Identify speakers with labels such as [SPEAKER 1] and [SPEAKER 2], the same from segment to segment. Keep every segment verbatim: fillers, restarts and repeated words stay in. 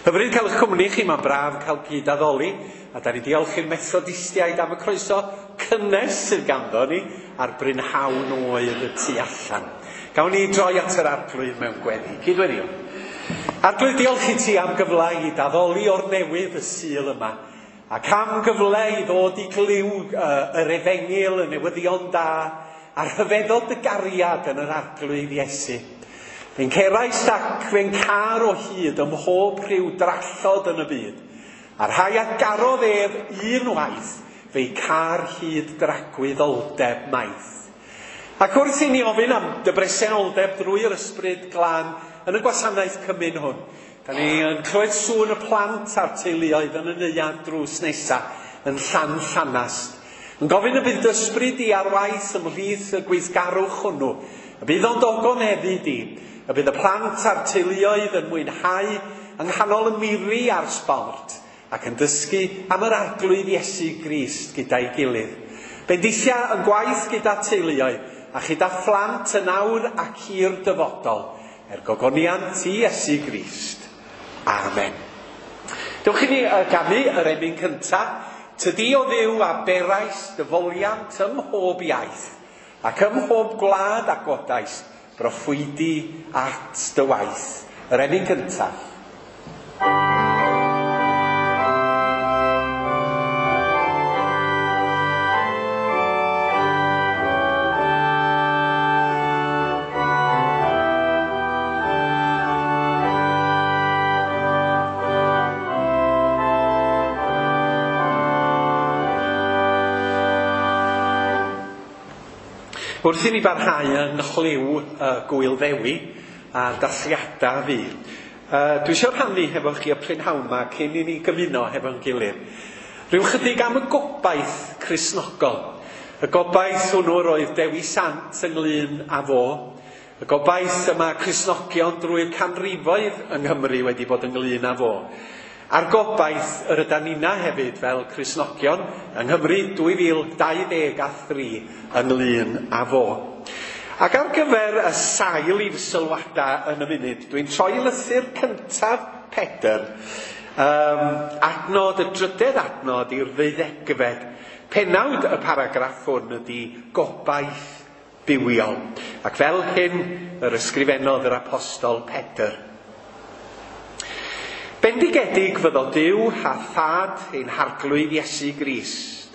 [SPEAKER 1] Hyfryd cael eich cwmni chi, mae'n braf cael cyd-addoli, a da ni diolch i'r Methodistiaid am y croeso cynnes sydd ganddo ni a'r brynhawn oer y tu allan. Gawn ni droi at yr Arglwydd mewn gweddi. Cydweddio. Arglwydd, diolch i ti am gyfle i daddoli o'r newydd y Sul yma, ac am gyfle i ddod i glyw uh, yr efengyl, y newyddion da, a'r rhyfeddod y gariad yn yr Arglwydd Iesu. Fe'n cerais ac fe'n car o hyd ym mhob rhyw drallod yn y byd, a'r rhai a garodd ef un waith, fe'i car hyd dragwyddoldeb maith. Ac wrth i ni ofyn am dy bresenoldeb drwy'r Ysbryd Glân yn y gwasanaeth cymun hwn, da ni yn clywed sŵn y plant a'r teuluoedd yn y neuadd drws nesa yn Llan Llanast. Yn gofyn y bydd dy ysbryd di ar waith ymhlith y gweithgarwch hwnnw, y bydd o'n dogoneddu di, y bydd y plant a'r teuluoedd yn mwynhau yng nghanol y miri a'r sbort, ac yn dysgu am yr Arglwydd Iesu Grist gyda'i gilydd. Bendithia yn gwaith gyda teuluoedd a chyda phlant yn awr ac i'r dyfodol, er gogoniant i Iesu Grist. Amen. Dewch i ni ganu yr emyn cyntaf. Tydi o Dduw a berais dy foliant ym mhob iaith, ac ym mhob gwlad a godais, broffwydi at dy waith. Yr emyn cyntaf. Wrth i ni barhau yng nghlyw uh, Gwyl Ddewi a'r dathliadau fi, uh, dwi eisiau rhannu hefo chi y prynhawn yma cyn i ni gymuno hefo'n gilydd. Rhyw chydig am y gobaith Cristnogol. Y gobaith hwnnw roedd Dewi Sant ynglyn â fo. Y gobaith yma Cristnogion drwy'r canrifoedd yng Nghymru wedi bod ynglyn â fo. A'r gobaith yr ydan nina hefyd fel Cristnogion yng Nghymru dwy fil dau ddeg a thri ynglyn â fo. Ac ar gyfer y sail i'r sylwadau yn y munud, dwi'n troi lythyr cyntaf Pedr, um, adnod, y drydedd adnod i'r ddeuddegfed. Penawd y paragraff hwn ydy gobaith bywiol. Ac fel hyn yr ysgrifennodd yr apostol Pedr. Bendigedig fyddo Duw a Thad ein Harglwydd Iesu Grist.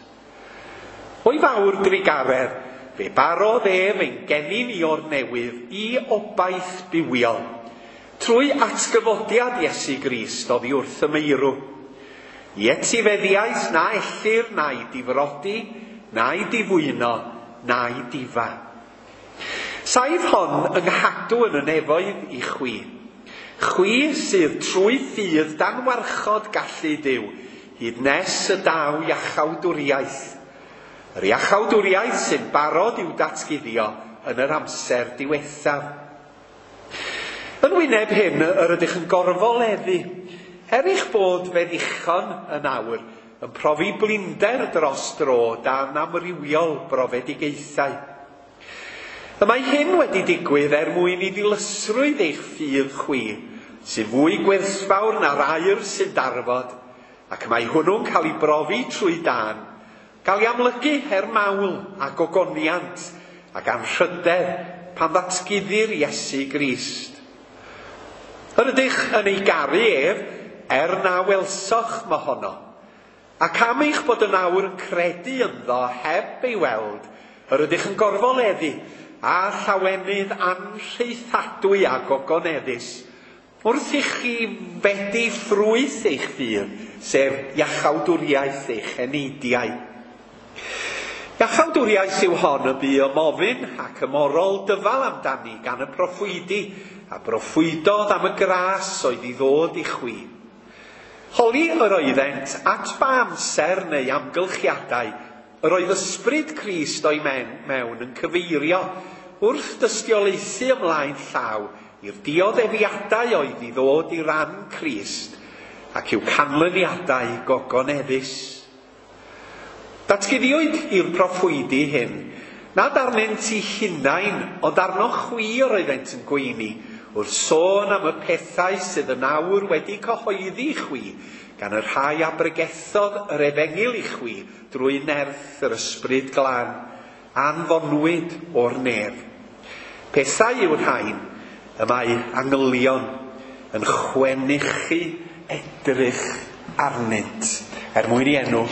[SPEAKER 1] O'i fawr drugaredd, fe barodd ef ein geni ni o'r newydd i obaith bywiol, trwy atgyfodiad Iesu Grist oddi wrth y meirw. I etifeddiaeth na ellir na'i difrodi, na'i difwyno, na'i difa. Saif hon yng nghadw yn y nefoedd i chwi. Chwi sydd trwy ffydd dan warchod gallu Duw, hyd nes y daw iachawdwriaeth. Yr iachawdwriaeth sy'n barod i'w datguddio yn yr amser diwethaf. Yn wyneb hyn, yr ydych yn gorfoleddu, er eich bod fe ddichon yn awr, yn profi blinder dros dro dan amrywiol brofedigaethau. Y mae hyn wedi digwydd er mwyn i ddilysrwydd eich ffydd chwi, sy'n fwy gwerthfawr na'r aur sy'n darfod, ac mae hwnnw'n cael ei brofi trwy dan, gael ei amlygu er mawl a gogoniant ac anrhydedd pan ddatguddir Iesu Grist. Yr ydych yn ei garu ef, er na welsoch mohono, ac am eich bod yn awr yn credu ynddo heb ei weld, yr ydych yn gorfoleddu a llawenydd anrhaethadwy a gogoneddus, wrth i chi fedi ffrwyth eich ffydd, sef iachawdwriaeth eich eneidiau. Iachawdwriaeth yw hon y bu ymofyn ac ymorol dyfal amdani gan y proffwydi, a broffwydodd am y gras oedd i ddod i chwi. Holi yr oeddent at ba amser neu amgylchiadau, yr oedd ysbryd Crist o'i mewn yn cyfeirio wrth dystiolaethu ymlaen llaw i'r dioddefiadau oedd i ddod i ran Crist ac i'w canlyniadau gogoneddus. Datguddiwyd i'r proffwydi hyn, nad arnynt eu hunain, ond arno chwi yr oeddent yn gweini, wrth sôn am y pethau sydd yn awr wedi cyhoeddi i chwi, gan y rhai a bregethodd yr efengyl i chwi drwy nerth yr Ysbryd Glân, anfonwyd o'r nef. Pethau yw'r rhain y mae angylion yn chwenychu edrych arnynt, er mwyn i enw.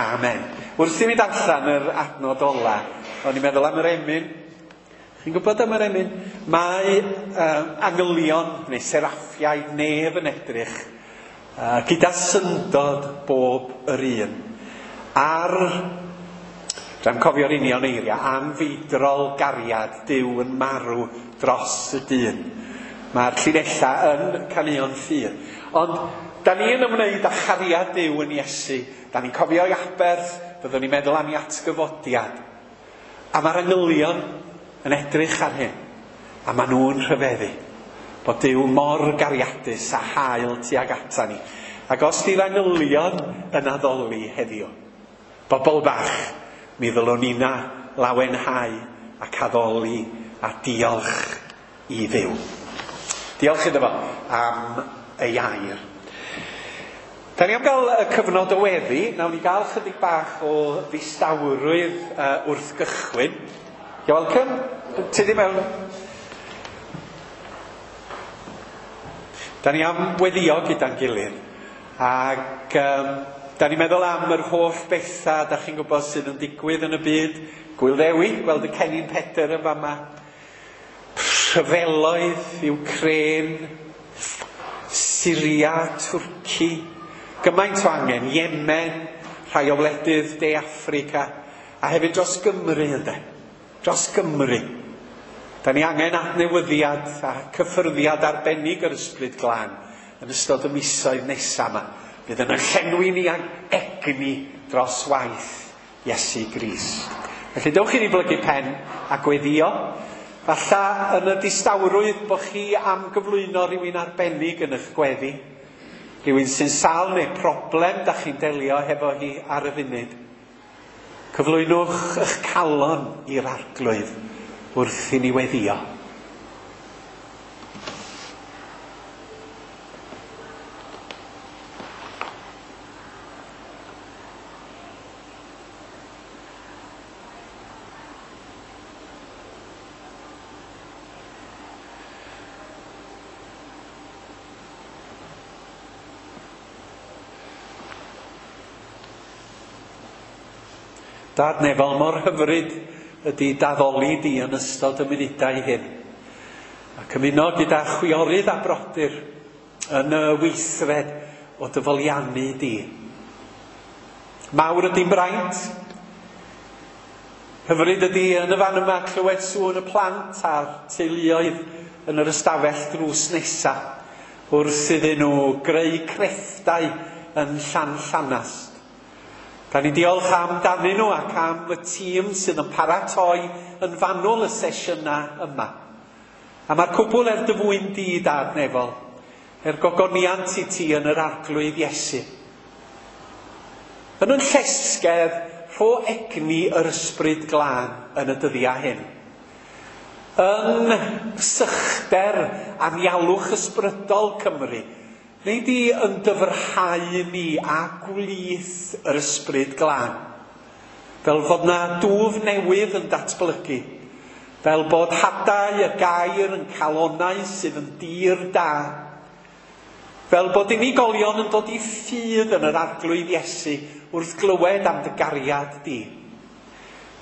[SPEAKER 1] Amen. Wrth i mi darllen yr adnod ola, o'n i'n meddwl am yr emyn. Chi'n gwybod am yr emyn? Mae uh, angylion neu seraffiaid nef yn edrych uh, gyda syndod bob yr un ar, dwi'n cofio'r union eiriau, anfeidrol gariad Duw yn marw dros y dyn. Mae'r llinellau yn caneuon ffydd. Ond da ni yn ymwneud â chariad Duw yn Iesu. Da ni'n cofio ei aberth, byddwn ni'n meddwl am ei atgyfodiad. A mae'r angylion yn edrych ar hyn, a maen nhw'n rhyfeddu bod Duw mor gariadus a hael tuag ata ni. Ac os di'r angylion yn addoli heddiw, bobl bach, mi ddylwn ni'na lawenhau ac addoli a diolch i Dduw. Diolch iddo fo am ei air. Da ni am gael y cyfnod o weddi. Nawn ni gael chydig bach o ddistawrwydd uh, wrth gychwyn. You're welcome. Ti di mewn. Da ni am weddio gyda'n gilydd. Ac um, da ni'n meddwl am yr holl bethau da chi'n gwybod sydd yn digwydd yn y byd. Gwyl Ddewi, gweld y Cennin Pedr yn fama. Rhyfeloedd, Ukraine, Syria, Twrci. Gymaint o angen, Yemen, rhai o wledydd De Affrica, a hefyd dros Gymru ynde. Dros Gymru. Da ni angen adnewyddiad a cyffyrddiad arbennig yr Ysbryd Glân yn ystod y misoedd nesaf yma. Bydd yn llenwi ni ag egni dros waith Iesu Grist. Felly dewch i ni blygu pen a gweddio. Falla yn y distawrwydd bod chi am gyflwyno rhywun arbennig yn eich gweddi. Rhywun sy'n sâl neu problem da chi'n delio hefo hi ar y funud. Cyflwynwch eich calon i'r Arglwydd wrth i ni weddio. Dad nefol, mor hyfryd ydy daddoli di yn ystod y munudau hyn. Ac ymuno gyda chwiorydd a brodyr yn y weithred o dyfoliannu di. Mawr ydy'n braint. Hyfryd ydy yn y fan yma clywed sŵn y plant a'r teuluoedd yn yr ystafell drws nesa wrth iddyn nhw greu crefftau yn Llan Llanast. Da ni diolch amdanyn nhw ac am y tîm sydd yn paratoi yn fanwl y sesiynau yma. A mae'r cwbl er dy fwyn di, Dad nefol, er gogoniant i ti yn yr Arglwydd Iesu. Yn yn llesgedd, rho egni yr Ysbryd Glân yn y dyddiau hyn. Yn sychder anialwch ysbrydol Cymru, neu di yn dyfrhau ni a gwlith yr Ysbryd Glân. Fel fod na dwf newydd yn datblygu. Fel bod hadau y gair yn calonau sydd yn dir da. Fel bod unigolion yn dod i ffydd yn yr Arglwydd Iesu wrth glywed am dy gariad di.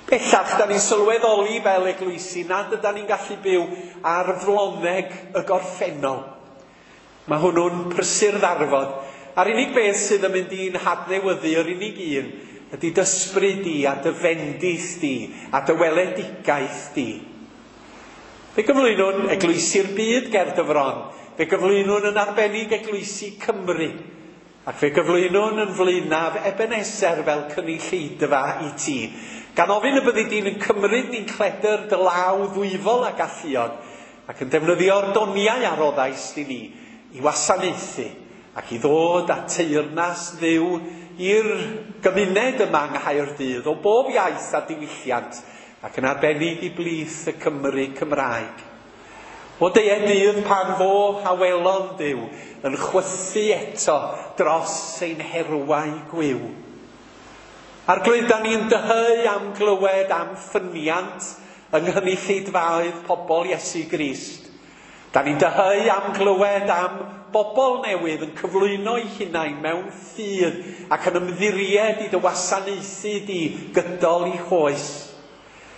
[SPEAKER 1] Bellach, da ni'n sylweddoli fel eglwysi nad ydan ni'n gallu byw ar floneg y gorffennol. Mae hwnnw'n prysur ddarfod. A'r unig beth sydd yn mynd i'n hadnewyddu, yr unig un, ydy d'ysbryd di a dy fendith di a dy weledigaeth di. Fe gyflwynwn eglwysi'r byd ger dy fron. Fe gyflwynwn yn arbennig eglwysi Cymru. Ac fe gyflwynwn yn flaenaf Ebenezer fel cynulleidfa i ti. Gan ofyn y byddi di'n yn cymryd ni'n cledr dy law ddwyfol a galluog ac yn defnyddio'r doniau a roddais i ni i wasanaethu ac i ddod â teyrnas Dduw i'r gymuned yma yng Nghaerdydd o bob iaith a diwylliant ac yn arbennig i blith y Cymru Cymraeg. O deie dydd pan fo awelon Duw yn chwythu eto dros ein herwau gwiw. Arglwydd, da ni'n dyheu am glywed am ffyniant yng nghynulleidfaoedd pobl Iesu Grist. Da ni'n dyheu am glywed am bobl newydd yn cyflwyno eu hunain mewn ffydd ac yn ymddiried i dy wasanaethu di gydol eu hoes.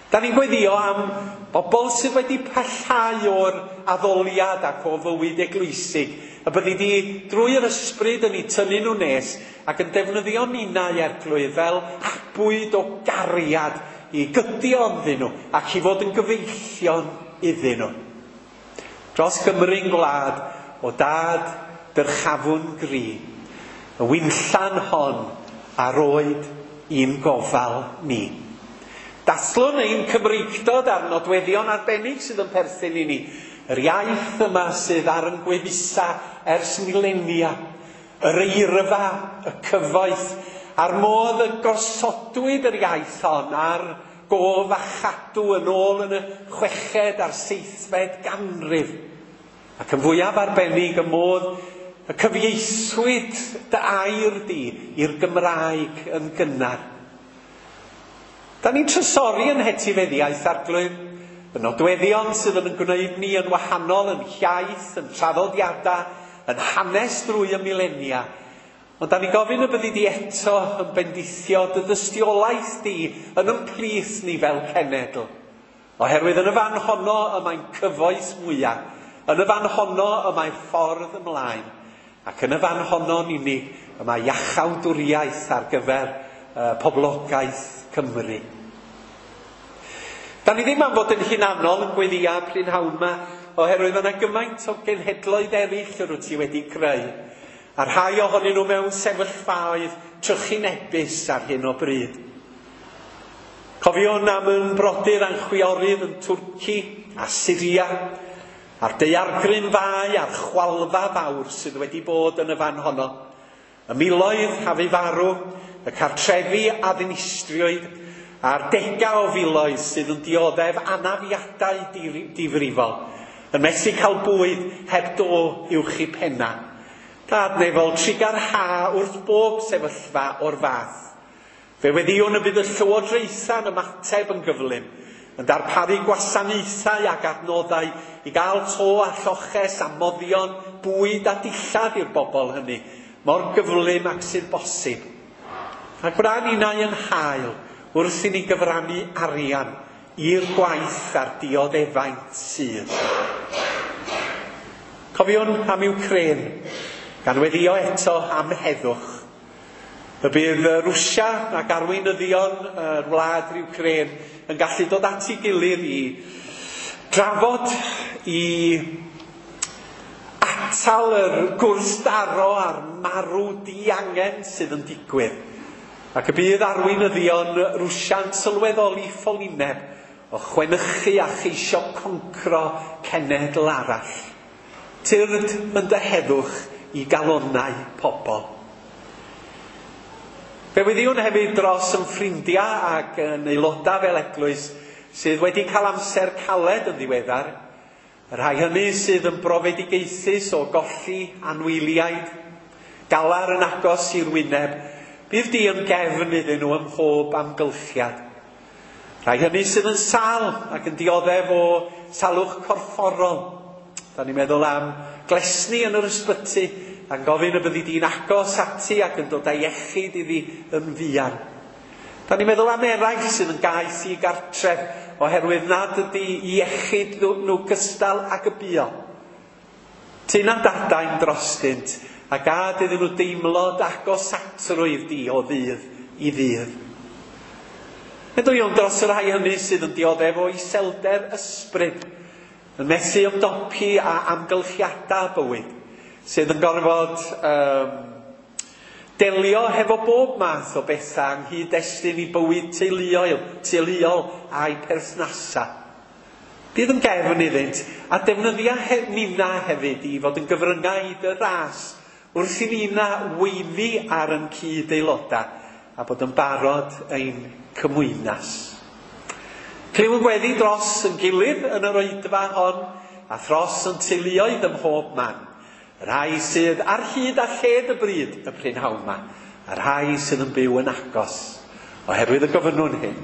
[SPEAKER 1] Da ni'n gweddïo am bobl sydd wedi pellhau o'r addoliad ac o fywyd eglwysig, y byddi di drwy'r ysbryd yn eu tynnu nhw nes ac yn defnyddio ninnau, Arglwydd, fel abwyd o gariad i gydio ynddyn nhw ac i fod yn gyfeillion iddyn nhw. Dros Gymru'n gwlad, o dad dyrchafwn gri, y winllan hon a roed i'n gofal ni. Dathlwn ein Cymreictod a'r nodweddion arbennig sydd yn perthyn i ni. Yr iaith yma sydd ar yn gwefusa ers milenia, yr eirfa, y cyfoeth, a'r modd y gosodwyd yr iaith hon ar gof a chadw yn ôl yn y chweched a'r seithfed ganrif. Ac yn fwyaf arbennig y modd y cyfieithwyd dy air di i'r Gymraeg yn gynnar. Da ni'n trysori yn hetifeddiaeth, Arglwydd, y nodweddion sydd yn gwneud ni yn wahanol yn hiaith, yn traddodiadau, yn hanes drwy y milenia. Ond da ni'n gofyn y byddi di eto yn bendithio dy dystiolaeth di yn ymplith ni fel cenedl. Oherwydd yn y fan honno y mae'n cyfoeth mwyaf, yn y fan honno y mae ffordd ymlaen, ac yn y fan honno'n unig y mae iachawdwriaeth ar gyfer uh, poblogaeth Cymru. Da ni ddim am fod yn hunanol yn gweddïo prynhawn yma, oherwydd mae yna gymaint o genhedloedd eraill yr wyt ti wedi creu, a rhai ohonyn nhw mewn sefyllfaoedd trychinebus ar hyn o bryd. Cofiwn am yn brodyr a'n chwiorydd yn Twrci a Syria, a'r daeargryn fai a'r chwalfa fawr sydd wedi bod yn y fan honno. Y miloedd a fu farw, y cartrefi a ddinistriwyd, a'r degau o filoedd sydd yn dioddef anafiadau difrifol, yn methu cael bwyd heb do uwch eu penna. Dad nefol, trugarha wrth bob sefyllfa o'r fath. Fe weddïwn y bydd y llywodraethau'n ymateb yn gyflym, yn darparu gwasanaethau ac adnoddau i gael to a lloches a moddion, bwyd a dillad i'r bobl hynny, mor gyflym ac sydd bosib. A gwna ninnau yn hael wrth i ni gyfrannu arian i'r gwaith a'r dioddefaint sydd. Cofiwn am Wcráin, gan weddïo eto am heddwch. Y bydd Rwsia ac arweinyddion yr wlad Wcráin yn gallu dod at ei gilydd i drafod, i atal yr gwrthdaro a'r marw diangen sydd yn digwydd. Ac y bydd arweinyddion Rwsia'n sylweddoli ffolineb o chwenychu a cheisio concro cenedl arall. Tyrd yn dy heddwch i galonnau pobl. Fe weddïwn hefyd dros yn ffrindiau ac yn aelodau fel eglwys sydd wedi cael amser caled yn ddiweddar, y rhai hynny sydd yn brofedigaethus o golli anwyliaid, galar yn agos i'r wyneb, bydd di yn gefn iddyn nhw ym mhob amgylchiad. Rhai hynny sydd yn sâl ac yn dioddef o salwch corfforol. Da ni'n meddwl am glesni yn yr ysbyty, a'n gofyn y byddi di'n agos ati ac yn dod â iechyd iddi yn fuan. Da ni'n meddwl am eraill sydd yn gaeth i gartref oherwydd nad ydy iechyd nhw, nhw gystal ag y buo. Tyn a dadain drostynt a gad iddyn nhw deimlo agosatrwydd di o ddydd i ddydd. Meddwl dros y rhai hynny sydd yn dioddef o iselder ysbryd, yn methu ymdopi a amgylchiadau bywyd, sydd yn gorfod um, delio hefo bob math o bethau yng nghyd-destun i bywyd teuluol, teuluol a'i perthnasau. Bydd yn gefn iddynt, a defnyddia he, nina hefyd i fod yn gyfryngau i dy ras, wrth i nina weiddi ar yn cyd-aelodau a bod yn barod ein cymwynas. Clywn gweddi dros yn gilydd yn yr oedfa hon, a thros yn teuluoedd ym mhob man. Y rhai sydd ar hyd a lled y bryd y prynhawn yma, a'r rhai sydd yn byw yn agos, oherwydd y gofynnwn hyn.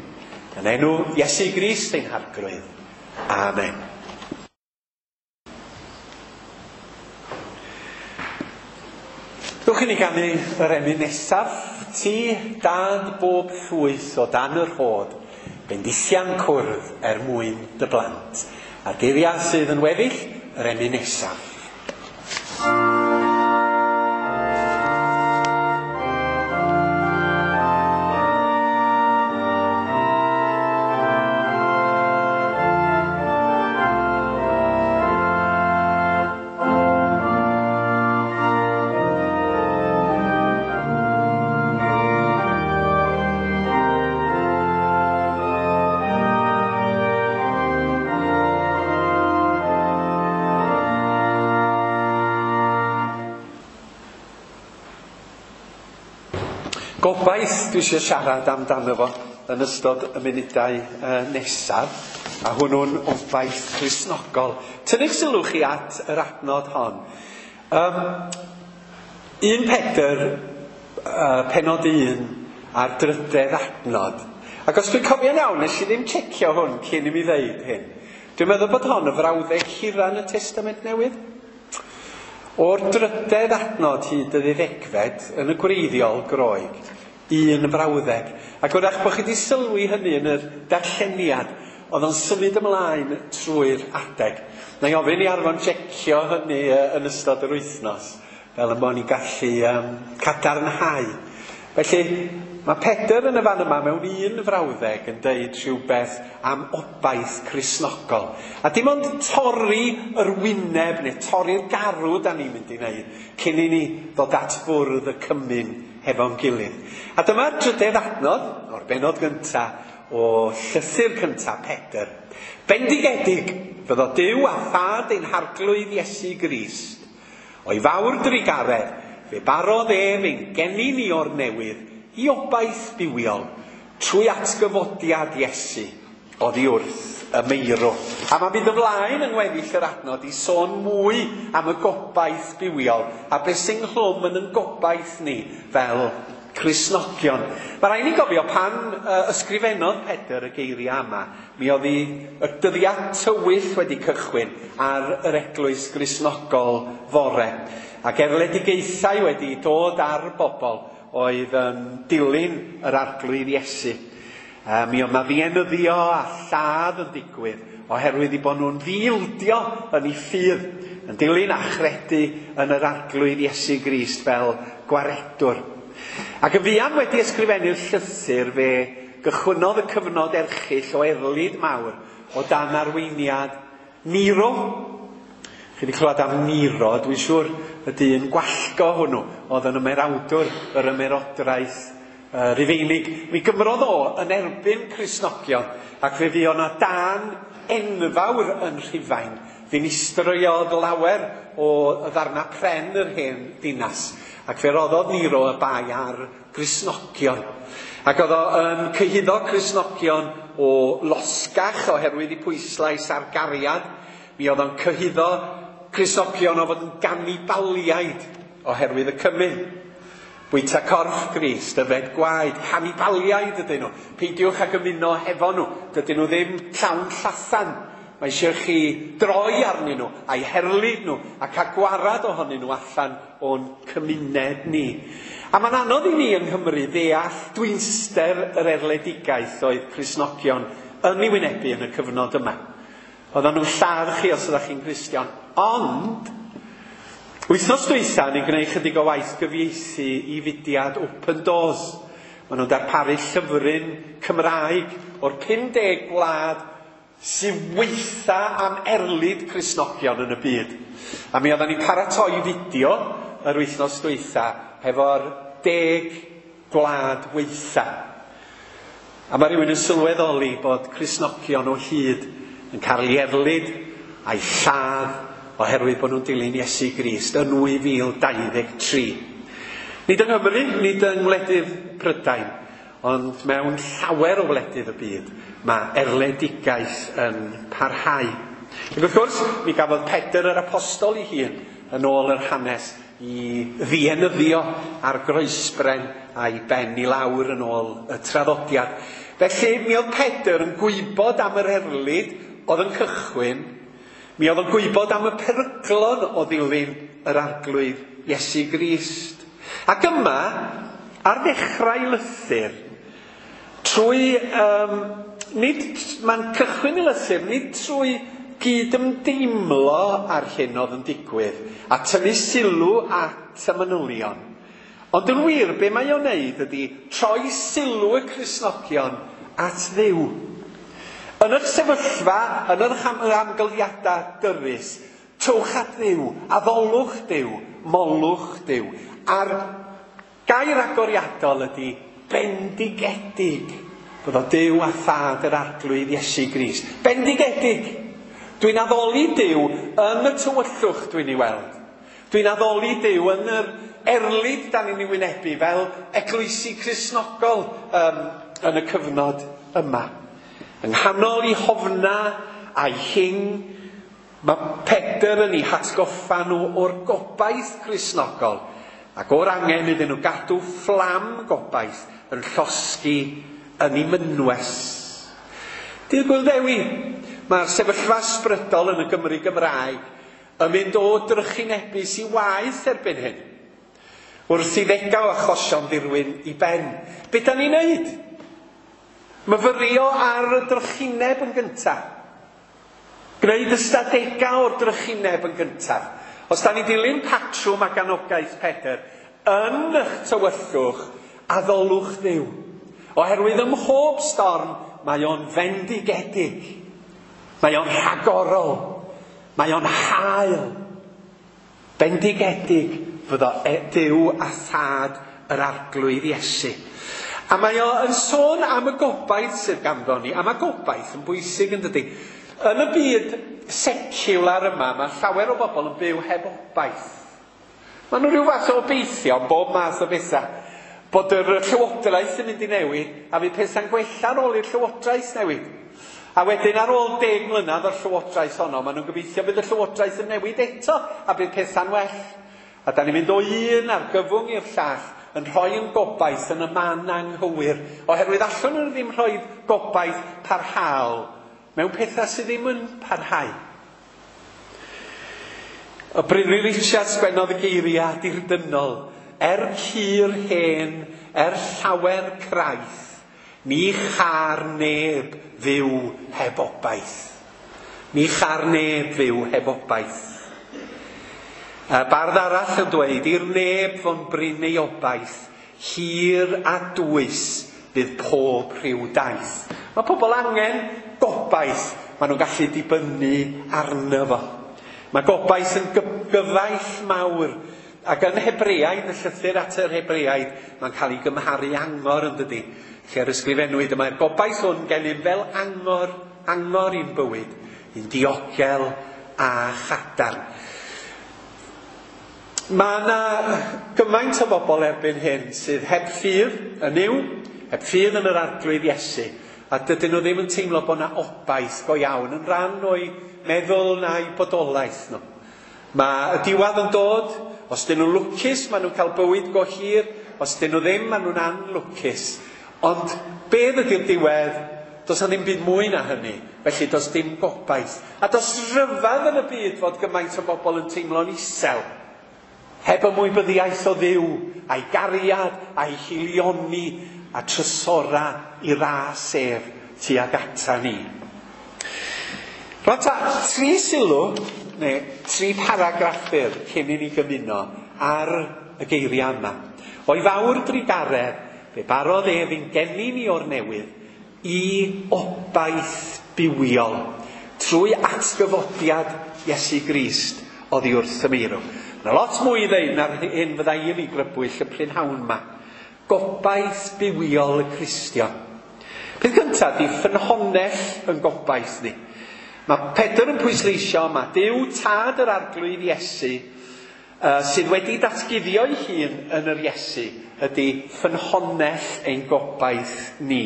[SPEAKER 1] Yn enw Iesu Grist ein Harglwydd. Amen. Dwch i ni ganu yr emyn nesaf, ti dad bob llwyth o dan yr hod, bendithian cwrdd er mwyn dy blant. A'r geiriau sydd yn weddill, yr emyn nesaf. Gobaith dwi eisiau siarad amdano fo yn ystod y munudau uh, nesaf, a hwnnw'n obaith Cristnogol. Tynnwch sylw chi at yr adnod hon. Um, un Pedr, uh, penod un, a'r drydedd adnod. Ac os dwi'n cofio'n iawn, nes i ddim checio hwn cyn i mi ddeud hyn. Dwi'n meddwl bod hon y frawddeg hira yn y Testament Newydd. O'r drydedd adnod hyd y ddeuddegfed yn y gwreiddiol Groeg, un frawddeg. Ac wrach bod chi wedi sylwi hynny yn yr darlleniad, oedd o'n symud ymlaen trwy'r adeg. Na i ofyn i Arfon checio hynny yn ystod yr wythnos, fel y bod ni'n gallu um, cadarnhau. Felly, mae Pedr yn y fan yma mewn un frawddeg yn deud rhywbeth am obaith Cristnogol. A dim ond torri yr wyneb neu torri'r garw da ni'n mynd i wneud cyn i ni ddod at fwrdd y cymun hefo'n gilydd. A dyma'r drydedd adnod o'r bennod gyntaf o llythyr cyntaf Pedr. Bendigedig fyddo Duw a Thad ein Harglwydd Iesu Grist. O'i fawr drugaredd, fe barodd ef ein geni ni o'r newydd i obaith bywiol trwy atgyfodiad Iesu oddi wrth y meirw. A mae'n mynd ymlaen yng ngweddill yr adnod i sôn mwy am y gobaith bywiol a beth sy'n nghlwm yn ein gobaith ni fel Cristnogion. Mae rhaid ni gofio pan uh, ysgrifennodd Pedr y geiriau yma, mi oedd hi y dyddiad tywyll wedi cychwyn ar yr eglwys Gristnogol fore. Ac erledigaethau wedi dod ar bobl oedd yn dilyn yr Arglwydd Iesu. Uh, mi oedd 'na ddienyddio a lladd yn digwydd oherwydd eu bod nhw'n ddiildio yn eu ffydd, yn dilyn a chredu yn yr Arglwydd Iesu Grist fel gwaredwr. Ac yn fuan wedi ysgrifennu'r llythyr, fe gychwynnodd y cyfnod erchyll o erlid mawr o dan arweiniad Nero. Chi wedi clywed am Nero, dwi'n siŵr y dyn gwallgo hwnnw oedd yn ymerawdwr yr ymerodraeth uh, Rufeinig. Mi gymrodd o yn erbyn Cristnogion, ac fe fuodd 'na dân enfawr yn Rhufain. Ddinistriodd lawer o ddarna pren yr hen ddinas, ac fe roddodd Nero y bai ar Gristnogion. Ac oedd o yn cyhuddo Cristnogion o losgach oherwydd eu pwyslais ar gariad. Mi oedd o'n cyhuddo Cristnogion o fod yn ganibaliaid oherwydd y cymun. Bwyta corff Grist, yfed gwaed, canibaliaid ydyn nhw. Peidiwch ag ymuno hefo nhw, dydyn nhw ddim llawn llathan. Mae eisiau chi droi arnyn nhw, a'i herlid nhw, ac a gwarad ohonyn nhw allan o'n cymuned ni. A mae'n anodd i ni yng Nghymru ddeall dwynster yr erledigaeth oedd Cristnogion yn ei wynebu yn y cyfnod yma. Oedden nhw'n lladd chi os ydych chi'n Gristion. Ond, wythnos dwytha, ni'n gwneud chydig o waith gyfieithu i fudiad Open Doors. Maen nhw'n darparu llyfryn Cymraeg o'r pum deg gwlad sy'n weitha am erlid Cristnogion yn y byd. A mi oedden ni'n paratoi fideo yr wythnos dwytha hefo'r deg gwlad weitha. A mae rhywun yn sylweddoli bod Cristnogion o hyd yn cael ei erlid a'i lladd oherwydd bod nhw'n dilyn Iesu Grist yn dwy fil dau ddeg tri. Nid yng Nghymru, nid yng ngwledydd Prydain, ond mewn llawer o wledydd y byd, mae erledigaeth yn parhau. Ac wrth gwrs, mi gafodd Pedr yr apostol ei hun yn ôl yr hanes i ddienyddio ar groesbren a'i ben i lawr yn ôl y traddodiad. Felly, mi oedd Pedr yn gwybod am yr erlid oedd yn cychwyn, mi oedd yn gwybod am y peryglon o ddilyn yr Arglwydd Iesu Grist. Ac yma, ar ddechrau lythyr, trwy, um, nid, mae'n cychwyn y lythyr, nid trwy gydymdeimlo ar hyn oedd yn digwydd, a tynnu sylw at y manylion. Ond yn wir, be mae o'n wneud ydy troi sylw y Cristnogion at Dduw. Yn yr sefyllfa, yn yr amgylchiadau dyrys, trowch at Dduw, addolwch Duw, molwch Duw. A'r gair agoriadol ydy bendigedig. Fyddo Duw a Thad yr Arglwydd Iesu Grist. Bendigedig! Dwi'n addoli Duw yn y tywyllwch dwi'n ei weld. Dwi'n addoli Duw yn yr erlid da ni'n ei wynebu fel eglwysi Cristnogol um, yn y cyfnod yma. Yng nghanol i hofna a'i hing, mae Pedr yn ei hatgoffa nhw o'r gobaith Cristnogol ac o'r angen iddyn nhw gadw fflam gobaith yn llosgi yn ei mynwes. Dydd Gŵyl Ddewi, mae'r sefyllfa ysbrydol yn y Gymru Gymraeg yn mynd o drychinebus i waeth erbyn hyn. Wrth i ddegau achosion ddirwyn i ben. Be da ni'n neud? Myfyrio ar y drychineb yn gyntaf. Gwneud ystadegau o'r drychineb yn gyntaf. Os da ni dilyn patrwm ac anogaeth Pedr, yn eich tywyllwch, addolwch Dduw. Oherwydd ym mhob storm, mae o'n fendigedig. Mae o'n rhagorol. Mae o'n hael. Bendigedig fyddo Duw a Thad yr Arglwydd Iesu. A mae o yn sôn am y gobaith sydd ganddo ni. A mae gobaith yn bwysig yn dydy. Yn y byd seciwlar yma, mae llawer o bobl yn byw heb obaith. Mae nhw rhyw fath o obeithio am bob math o bethau. Bod yr llywodraeth yn mynd i newid, a fydd pethau'n gwella ar ôl i'r llywodraeth newid. A wedyn ar ôl deg mlynedd o'r llywodraeth honno, maen nhw'n gobeithio bydd y llywodraeth yn newid eto, a bydd pethau'n well. A da ni'n mynd o un argyfwng i'r llall, yn rhoi yn gobaith yn y man anghywir, oherwydd allwn nhw ddim rhoi gobaith parhaol mewn pethau sydd ddim yn parhau. Y Brynley Richards sgwennodd y geiriau dirdynnol, er cur hen, er llawer craith, ni char neb fyw heb obaith. Ni char neb fyw heb obaith. Y bardd arall yn dweud, i'r neb fo'n brin ei obaith, hir a dwys fydd pob rhyw daith. Mae pobl angen gobaith, maen nhw'n gallu dibynnu arno fo. Mae gobaith yn gyfaill mawr, ac yn Hebreaid, y llythyr at yr Hebreaid, mae'n cael ei gymharu angor yn dydy. Lle'r ysgrifennwyd, mae'r gobaith hwn gennym fel angor, angor i'n bywyd, un diogel a chadarn. Mae yna gymaint o bobl erbyn hyn sydd heb ffydd yn Nuw, heb ffydd yn yr Arglwydd Iesu, a dydyn nhw ddim yn teimlo bod yna obaith go iawn yn rhan o'i meddwl na'i bodolaeth nhw. Mae y diwedd yn dod, os dyn nhw'n lwcus, maen nhw'n cael bywyd go hir, os dyn nhw ddim, maen nhw'n anlwcus. Ond beth ydy'r diwedd? Does na ddim byd mwy na hynny, felly does dim gobaith. A does rhyfedd yn y byd fod gymaint o bobl yn teimlo'n isel. Heb ymwybyddiaeth o Dduw, a'i gariad, a'i hilioni, a trysora i ras ef tuag ata ni. Rwan ta, tri sylw, neu tri paragraff byr cyn i ni gymuno ar y geiriau yma. O'i fawr drugaredd, fe barodd ef i'n geni ni o'r newydd i obaith bywiol trwy atgyfodiad Iesu Grist oddi wrth y meirw. Mae lot mwy i ddeud na'r hyn fydda i yn ei grybwyll y prynhawn yma. Gobaith bywiol y Cristion. Peth cyntaf di ffynhonnell yn gobaith ni. Mae Pedr yn pwysleisio yma, Duw Tad yr Arglwydd Iesu, uh, sydd wedi datguddio ei hun yn yr Iesu, ydy ffynhonnell ein gobaith ni.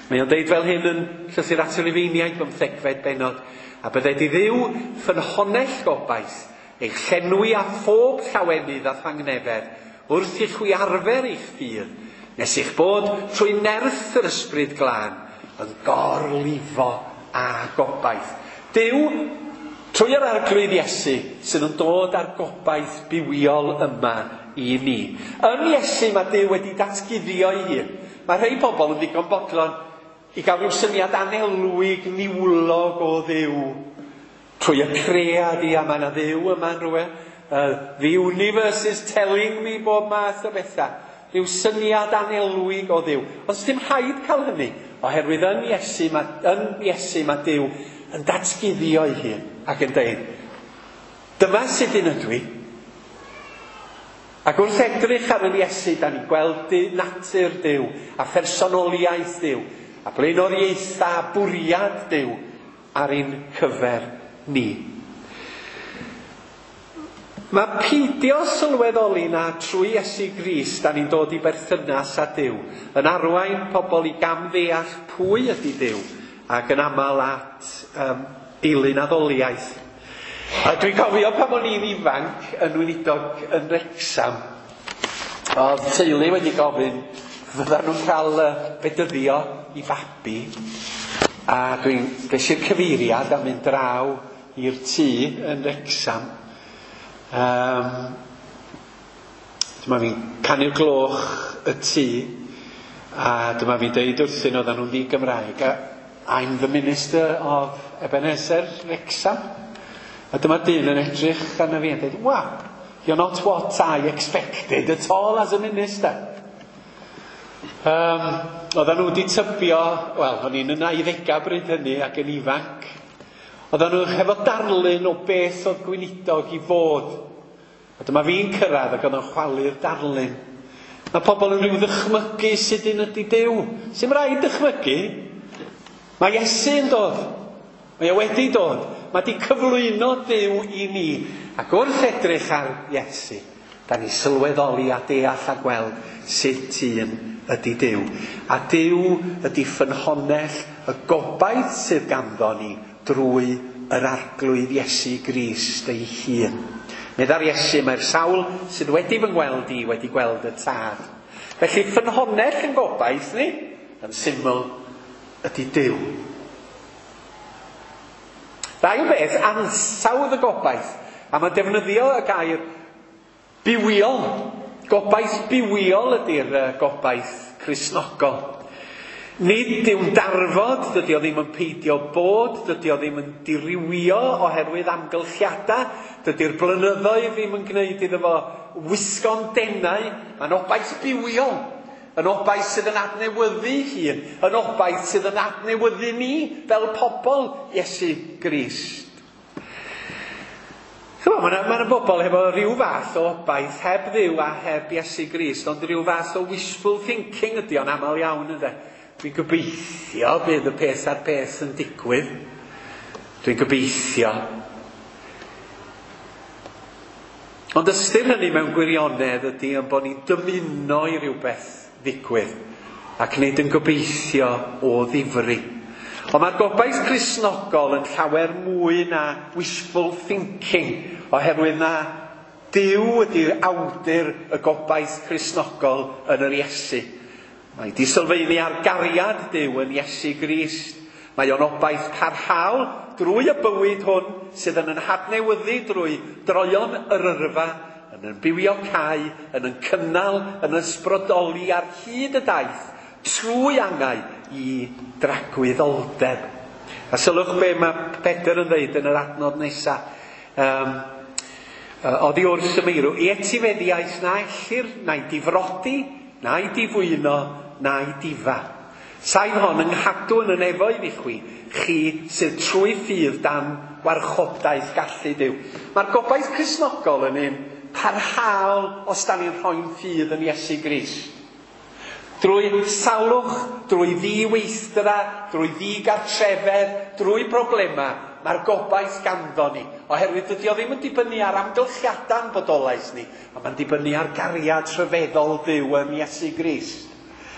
[SPEAKER 1] Mae o'n deud fel hyn yn Llythyr at y Rufeiniaid, bymthegfed bennod, a bydded i Dduw ffynhonnell gobaith, eich llenwi â phob llawenydd a thangnefedd, wrth i chwi arfer eich ffydd, nes eich bod trwy nerth yr Ysbryd Glân yn gorlifo â gobaith. Duw, trwy yr Arglwydd Iesu, sydd yn dod â'r gobaith bywiol yma i ni. Yn Iesu mae Duw wedi datguddio ei hun. Mae rhai pobl yn ddigon bodlon i gael rhyw syniad anelwig, niwlog o Dduw trwy y cread i, a mae yna Dduw yma'n rhywle. Uh, the universe is telling me bob math o bethau. Rhyw syniad anelwig o Dduw. Ond dim rhaid cael hynny, oherwydd yn Iesu mae, yn Iesu mae Duw yn datguddio ei hun ac yn dweud, dyma sut un ydw i. Ac wrth edrych ar yr Iesu, da ni'n gweld natur Duw a phersonoliaeth Duw a blaenoriaethau a bwriad Duw ar ein cyfer ni. Mae peidio sylweddoli na trwy Iesu Grist da ni'n dod i berthynas â Duw yn arwain pobl i gamddeall pwy ydy Duw ac yn aml at um, eilun addoliaeth. A dwi'n cofio pan o'n i'n ifanc yn weinidog yn Wrecsam, oedd teulu wedi gofyn fyddan nhw'n cael bedyddio i fabi, a dwi'n ges i'r cyfeiriad a mynd draw i'r tŷ yn Wrecsam. Um, dyma fi'n canu'r gloch y tŷ, a dyma fi'n deud wrthyn oedden nhw'n ddi-Gymraeg, I'm the minister of Ebenezer Wrexham. A dyma dyn yn edrych arna fi yn dweud, wow, you're not what I expected at all as a minister. Um, oedden nhw wedi tybio, wel, o'n i'n yn nauddegau bryd hynny ac yn ifanc. Oedden nhw hefo darlun o beth oedd gweinidog i fod. A dyma fi'n cyrraedd ac oedd o'n chwalu'r darlun. Mae pobl yn rhyw ddychmygu sut un ydy Duw. Sy'm rhaid dychmygu. Mae Iesu yn dod. Mae o wedi dod. Mae wedi cyflwyno Duw i ni. Ac wrth edrych ar Iesu, da ni sylweddoli a deall a gweld sut un ydy Duw. A Duw ydy ffynhonnell y gobaith sydd ganddo ni drwy yr Arglwydd Iesu Grist ei hun. Meddai'r Iesu, mae'r sawl sydd wedi fy ngweld i wedi gweld y Tad. Felly ffynhonnell yn gobaith ni, yn syml, ydy Duw. Ddau beth, ansawdd y gobaith. A mae defnyddio y gair bywiol. Gobaith bywiol ydy'r gobaith Cristnogol. Nid yw'n darfod, dydy o ddim yn peidio bod, dydy o ddim yn dirywio oherwydd amgylchiadau, dydy'r blynyddoedd ddim yn gwneud iddo fo wisgo'n denau. Mae'n obaith bywiol, yn obaith sydd yn adnewyddu hun, yn obaith sydd yn adnewyddu ni fel pobl Iesu Grist. Mae yna ma bobl hefo rhyw fath o obaith heb Dduw a heb Iesu Grist, ond rhyw fath o wishful thinking ydy o'n aml iawn ynddo. Dwi'n gobeithio bydd y peth a'r peth yn digwydd. Dwi'n gobeithio. Ond ystyr hynny mewn gwirionedd ydy yn bod ni'n dymuno i rywbeth ddigwydd ac nid yn gobeithio o ddifri. Ond mae'r gobaith Cristnogol yn llawer mwy na wishful thinking, oherwydd na Duw ydy'r awdur y gobaith Cristnogol yn yr Iesu. Mae di sylfaenu ar gariad Duw yn Iesu Grist. Mae o'n obaith parhaol drwy y bywyd hwn sydd yn yn hadnewyddu drwy droion yr yrfa, yn yn bywio cae, yn yn cynnal, yn ysbrydoli ar hyd y daith, trwy angau i dragwyddoldeb. A sylwch be mae Pedr yn dweud yn yr adnod nesaf. Um, oddi wrth y meirw, i etifeddiaeth na ellir, na'i difrodi, na'i difwyno, na'i difa. Saif hon yng nghadw yn y nefoedd i chwi, chi sydd trwy ffydd dan warchodaeth gallu Duw. Mae'r gobaith Cristnogol yn un parhaol os da ni'n rhoi'n ffydd yn Iesu Grist. Drwy salwch, drwy ddiweithdra, drwy ddigartrefedd, drwy problemau, mae'r gobaith ganddo ni. Oherwydd dydy o ddim yn dibynnu ar amgylchiadau'n bodolaeth ni, ond mae'n dibynnu ar gariad rhyfeddol Duw yn Iesu Grist.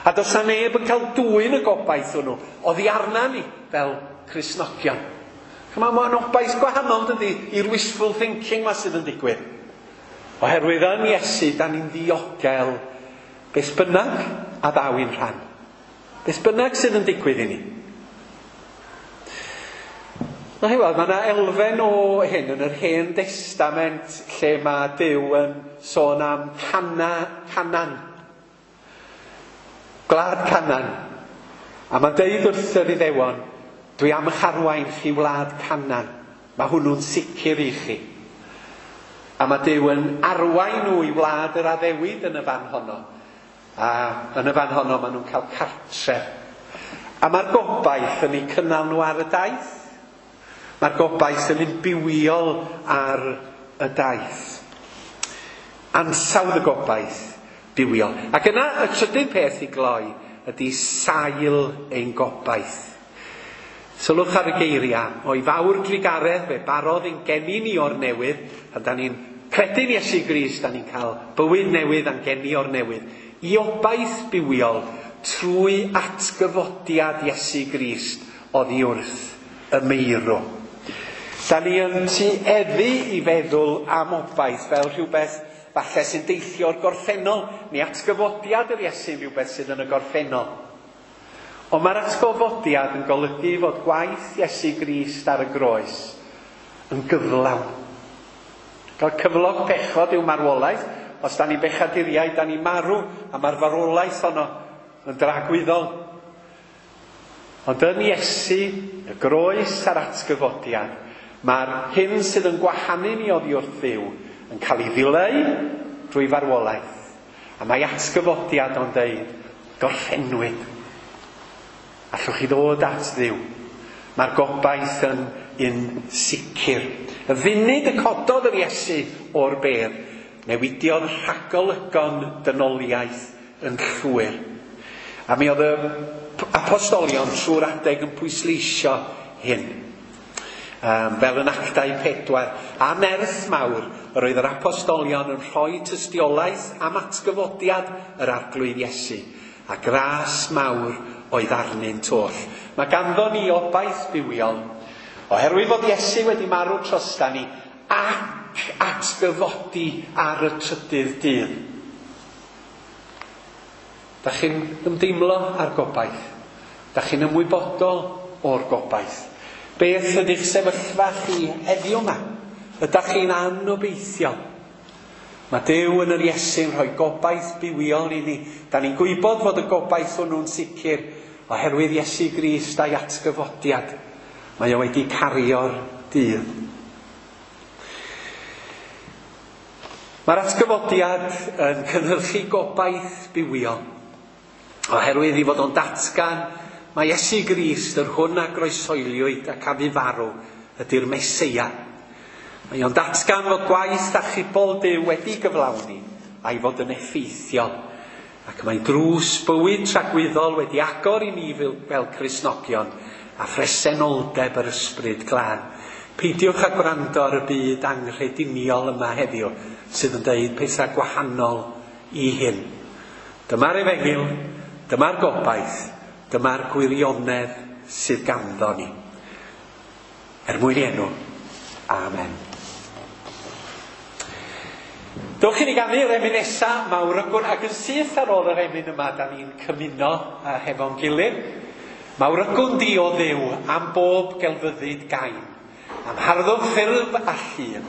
[SPEAKER 1] A does 'na neb yn cael dwyn y gobaith hwnnw oddi arna ni fel Cristnogion. Ch'mo', mae'n obaith gwahanol dydy i'r wishful thinking 'ma sydd yn digwydd. Oherwydd yn Iesu, da ni'n ddiogel beth bynnag a ddaw i'n rhan. Beth bynnag sydd yn digwydd i ni. Na chi weld, mae yna elfen o hyn yn yr Hen Destament lle mae Duw yn sôn am Cana, Canan. Gwlad Canan. A mae'n deud wrth yr Iddewon, dwi am eich arwain chi wlad Canan. Mae hwnnw'n sicr i chi. A mae Duw yn arwain nhw i wlad yr addewid yn y fan honno. A yn y fan honno maen nhw'n cael cartref. A mae'r gobaith yn eu cynnal nhw ar y daith. Mae'r gobaith yn un bywiol ar y daith. Ansawdd y gobaith bywiol. Ac yna y trydydd peth i gloi ydy sail ein gobaith. Sylwch ar y geiriau, o'i fawr drugaredd fe barodd ein geni ni o'r newydd, a da ni'n credu'n Iesu Grist, da ni'n cael bywyd newydd a'n geni o'r newydd, i obaith bywiol trwy atgyfodiad Iesu Grist oddi wrth y meirw. Da ni yn tueddu i feddwl am obaith fel rhywbeth falle sy'n deillio o'r gorffennol, neu atgyfodiad yr Iesu rhywbeth sydd yn y gorffennol. Ond mae'r atgyfodiad yn golygu fod gwaith Iesu Grist ar y groes yn gyflawn. Cael cyflog pechod yw marwolaeth. Os da ni'n bechaduriaid, da ni'n marw, a mae'r farwolaeth honno yn dragwyddol. Ond yn Iesu, y groes a'r atgyfodiad, mae'r hyn sydd yn gwahanu ni oddi wrth Dduw yn cael ei ddileu drwy farwolaeth. A mae atgyfodiad o'n deud, gorffennwyd. Allwch chi ddod at Dduw. Mae'r gobaith yn un sicr. Y funud y cododd yr Iesu o'r bedd, newidiodd rhagolygon dynoliaeth yn llwyr. A mi oedd y apostolion trwy'r adeg yn pwysleisio hyn. Um, fel yn Actau pedwar, a nerth mawr, yr oedd yr apostolion yn rhoi tystiolaeth am atgyfodiad yr Arglwydd Iesu, a gras mawr oedd arnynt oll. Mae ganddo ni obaith bywiol, oherwydd fod Iesu wedi marw trosta ni ac atgyfodi ar y trydydd dydd. Da chi'n ymdeimlo â'r gobaith? Da chi'n ymwybodol o'r gobaith? Beth ydy'ch sefyllfa chi heddiw yma? Ydych chi'n anobeithiol? Mae Duw yn yr Iesu'n rhoi gobaith bywiol i ni. Da ni'n gwybod fod y gobaith hwnnw'n sicr oherwydd Iesu Grist a'i atgyfodiad. Mae o wedi cario'r dydd. Mae'r atgyfodiad yn cynhyrchu gobaith bywiol. Oherwydd i fod o'n datgan, mae Iesu Grist, yr hwn a groesoeliwyd ac a fu farw, ydy'r Meseia. Mae o'n datgan fod gwaith achubol Duw wedi gyflawni a'i fod yn effeithiol. Ac mae drws bywyd tragwyddol wedi agor i ni fel, fel Cristnogion a phresenoldeb yr Ysbryd Glân. Peidiwch â gwrando ar y byd anghrediniol yma heddiw sydd yn deud pethau gwahanol i hyn. Dyma'r efengyl, dyma'r gobaith, dyma'r gwirionedd sydd ganddo ni. Er mwyn i enw, amen. Dowch i ni ganu'r emyn nesa, Mawrygwn, ac yn syth ar ôl yr emyn yma, da ni'n cymuno hefo'n gilydd. Mawrygwn di o Dduw am bob gelfyddyd gain, am harddwch ffurf a llun,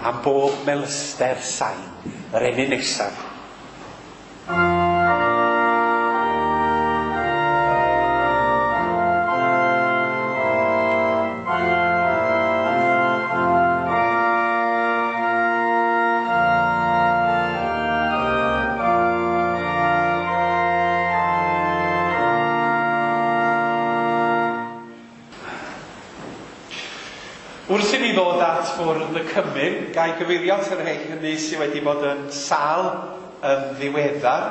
[SPEAKER 1] am bob melyster sain. Yr emyn nesaf. Wrth i ni ddod at fwrdd y cymun, gai gyfeirio at yr rhai hynny sydd wedi bod yn sâl yn ddiweddar.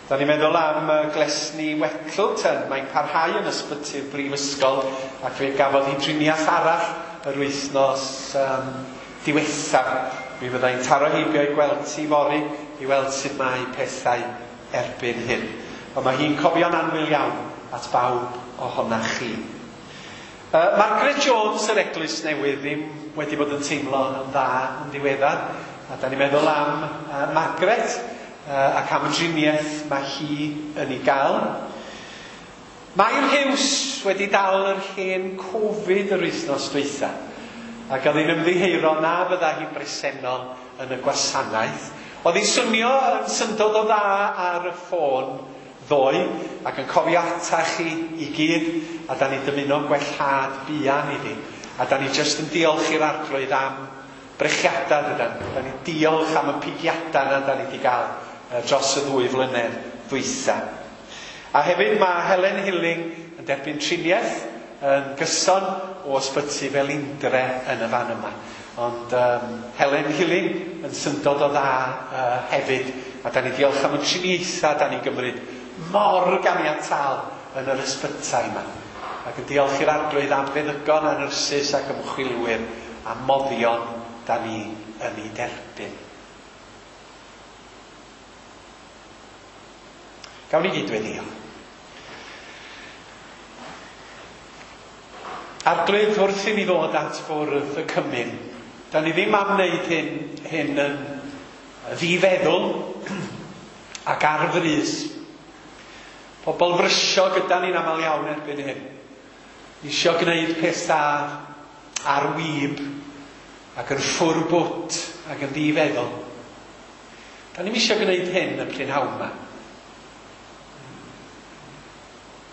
[SPEAKER 1] Da ni'n meddwl am Glesni Wettleton, mae'n parhau yn ysbyty'r brifysgol ac fe gafodd hi driniaeth arall yr wythnos um, diwethaf. Mi fyddai'n taro heibio i gweld ti fory i weld sut mae pethau erbyn hyn. Ond mae hi'n cofio'n annwyl iawn at bawb ohonach chi. Uh, Margaret Jones, yr Eglwys Newydd, ddim wedi bod yn teimlo yn dda yn ddiweddar. A da ni'n meddwl am uh, Margaret uh, ac am y driniaeth mae hi yn ei gael. Mair Hughes wedi dal yr hen Covid yr wythnos dwytha. Ac oedd hi'n ymddiheuro na fydda hi'n bresennol yn y gwasanaeth. Oedd hi'n swnio yn syndod o dda ar y ffôn ddoe ac yn cofio ata chi i gyd, a da ni'n dymuno gwellhad buan iddi. A da ni jyst yn diolch i'r Arglwydd am brechiadau dydan. Da ni'n diolch am y pigiadau na da ni wedi gael dros y ddwy flynedd ddwytha. A hefyd mae Helen Hilling yn derbyn triniaeth yn gyson o ysbyty Felindre yn y fan yma. Ond um, Helen Hilling yn syndod o dda uh, hefyd. A da ni diolch am y triniaethau da ni'n gymryd mor ganiataol yn yr ysbytai yma. Ac yn diolch i'r Arglwydd am feddygon a nyrsys ac ymchwilwyr a moddion da ni yn ei derbyn. Gawn ni gyd weddïo. Arglwydd, wrth i ni ddod at fwrdd y cymun, da ni ddim am wneud hyn, hyn yn ddifeddwl ac ar frys. Pobl frysio gyda ni'n aml iawn erbyn hyn. Isio gwneud pethau ar wib ac yn ffwrbwt ac yn ddifeddwl. Da ni'n isio gwneud hyn y prynhawn yma.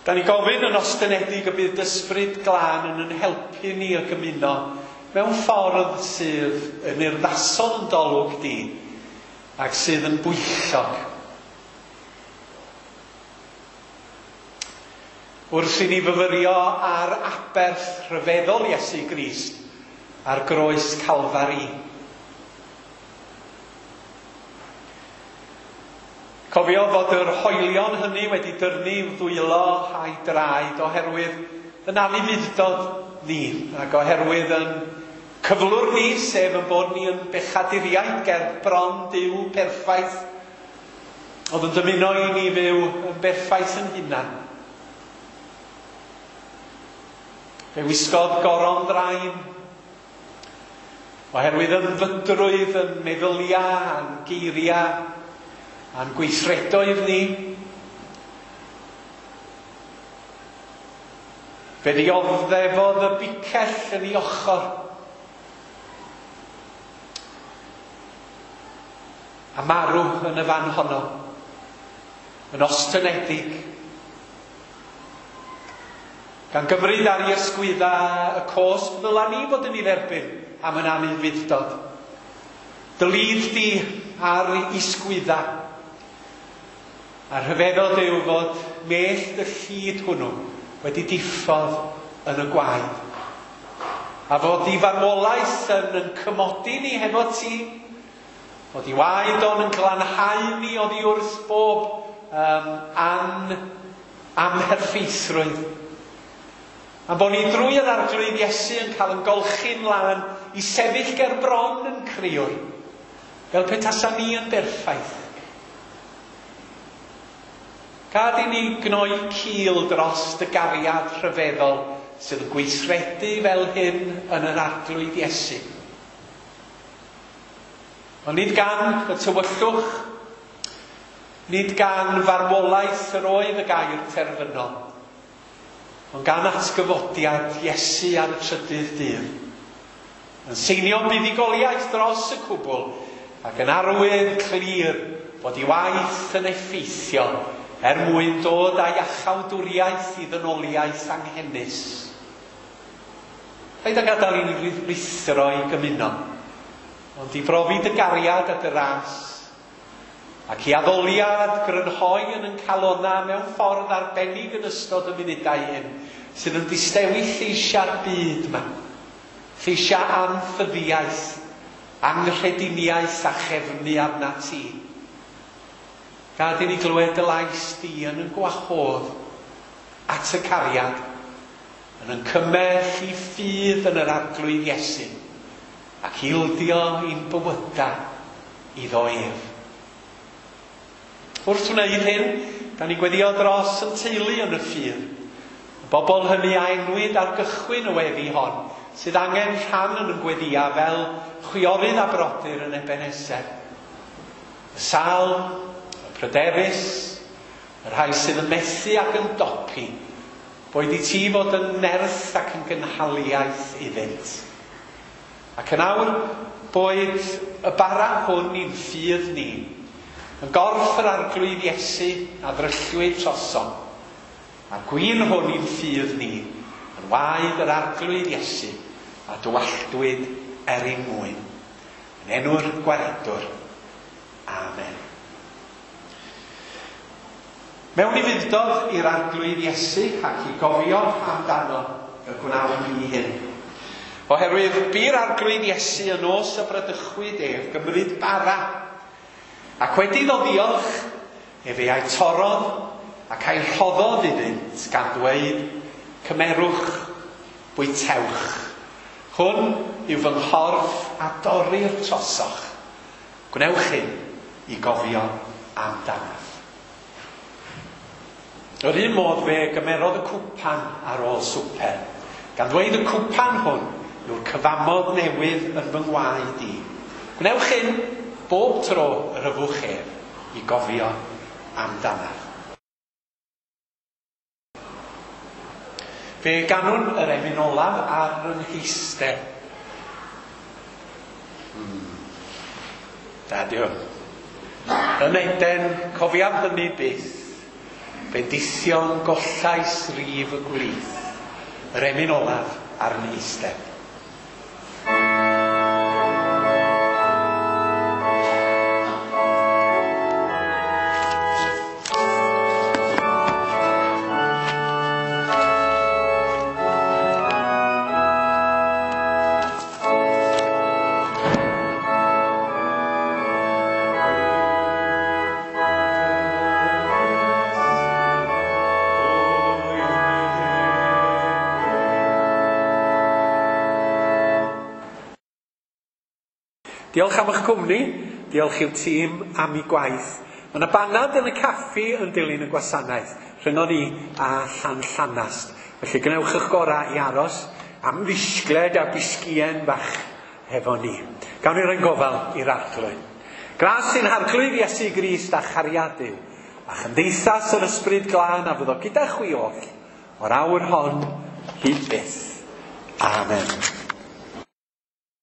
[SPEAKER 1] Da ni gofyn yn ostynedig y bydd ysbryd glân yn yn helpu ni y gymuno mewn ffordd sydd yn urddasol yn dolwg di ac sydd yn bwyllog. Wrth i ni fyfyrio ar aberth rhyfeddol Iesu Grist ar groes Calfari. Cofio fod yr hoelion hynny wedi dyrnu i'w ddwylo a'i draed oherwydd yn anufudd-dod ni ac oherwydd yn cyflwr ni, sef yn bod ni yn bechaduriaid ger bron Duw perffaith, oedd yn dymuno i ni fyw yn berffaith yn hunan. Fe wisgodd goron ddrain oherwydd ynfydrwydd yn meddyliau a'n geiriau a'n gweithredoedd ni. Fe ddioddefodd y bicell yn ei ochr. A marw yn y fan honno, yn ostynedig, gan gymryd ar ei ysgwydda y cosb ddyla ni fod yn ei dderbyn am yn anufudd-dod. Dylid di ar ei ysgwydda. A rhyfeddod yw fod mellt y llid hwnnw wedi diffodd yn y gwaed. A fod i farwolaeth yn, yn cymodi ni hefo ti, fod i waed o'n yn glanhau ni oddi wrth bob um, an, amherffeithrwydd. A bod ni drwy yr Arglwydd Iesu yn cael yn golchi'n lân i sefyll ger bron yn criwr, fel petasa ni yn berffaith. Gad i ni gnoi cil dros y gariad rhyfeddol sydd yn gweithredu fel hyn yn yr Arglwydd Iesu. Ond nid gan y tywyllwch, nid gan farwolaeth yr oedd y gair terfynol, ond gan atgyfodiad Iesu ar y trydydd dydd, yn seinio buddugoliaeth dros y cwbl ac yn arwydd clir bod ei waith yn effeithiol er mwyn dod â iachawdwriaeth i ddynoliaeth anghenus. Paid â gadael i ni ruthro i gymuno, ond i brofi dy gariad a dy ras, ac i addoliad grynhoi yn yn calona mewn ffordd arbennig yn ystod y munudau hyn, sydd yn distewi lleisiau'r byd yma, lleisiau anffyddiaeth, anghrediniaeth a chefnu arna ti. Gad i ni glywed y lais di yn yn gwahodd at y cariad, yn yn cymell i ffydd yn yr Arglwydd Iesu, ac ildio i'n bywydau iddo ef. Wrth wneud hyn, Da ni'n gweddio dros yn teulu yn y ffydd. Y bobl hynny a enwyd ar gychwyn y weddi hon, sydd angen rhan yn y gweddia fel chwiorydd a brodyr yn Ebeneser. Y sâl, y pryderus, y rhai sydd yn methu ac yn dopi, boed i ti fod yn nerth ac yn gynhaliaeth iddynt. Ac yn awr, boed y bara hwn i'n ffydd ni, yn gorff yr Arglwydd Iesu a ddryllwyd trosom, a'r gwin hwn i'n ffydd ni, yn waed yr Arglwydd Iesu a dywalltwyd er ein mwyn. Yn enw'r Gwaredwr. Amen. Mewn ufudd-dod i'r Arglwydd Iesu ac i gofio amdano y gwnawn ni hyn. Oherwydd bu'r Arglwydd Iesu y nos y bradychwyd ef gymryd bara, ac wedi iddo ddiolch, efe a'i torrodd ac a'i rhoddodd iddynt gan ddweud, cymerwch, bwytewch. Hwn yw fy nghorff a dorrir trosoch. Gwnewch hyn i gofio amdanaf. Yr un modd fe gymerodd y cwpan ar ôl swper, gan ddweud y cwpan hwn yw'r cyfamod newydd yn fy ngwaed i. Gwnewch hyn bob tro yr yfwch ef i gofio amdanaf. Fe ganwn yr emyn olaf ar yn heistedd. Hmm. Da di hwn. Yn Eden, cofiaf hynny byth, bendithion gollais rif y gwlith, yr emyn olaf ar yn heistedd. Diolch am eich cwmni, diolch i'w tîm am ei gwaith. Mae yna banad yn y caffi yn dilyn y gwasanaeth, rhyngon ni a Llanllanast. Felly gwnewch eich gorau i aros am ddisgled a bisgïen bach hefo ni. Gawn ni roi'n gofal i'r Arglwydd. Gras i'n Harglwydd Iesu Grist a chariad Duw, a chymdeithas yr Ysbryd Glân a fyddo gyda chwi oll o'r awr hon hyd byth. Amen.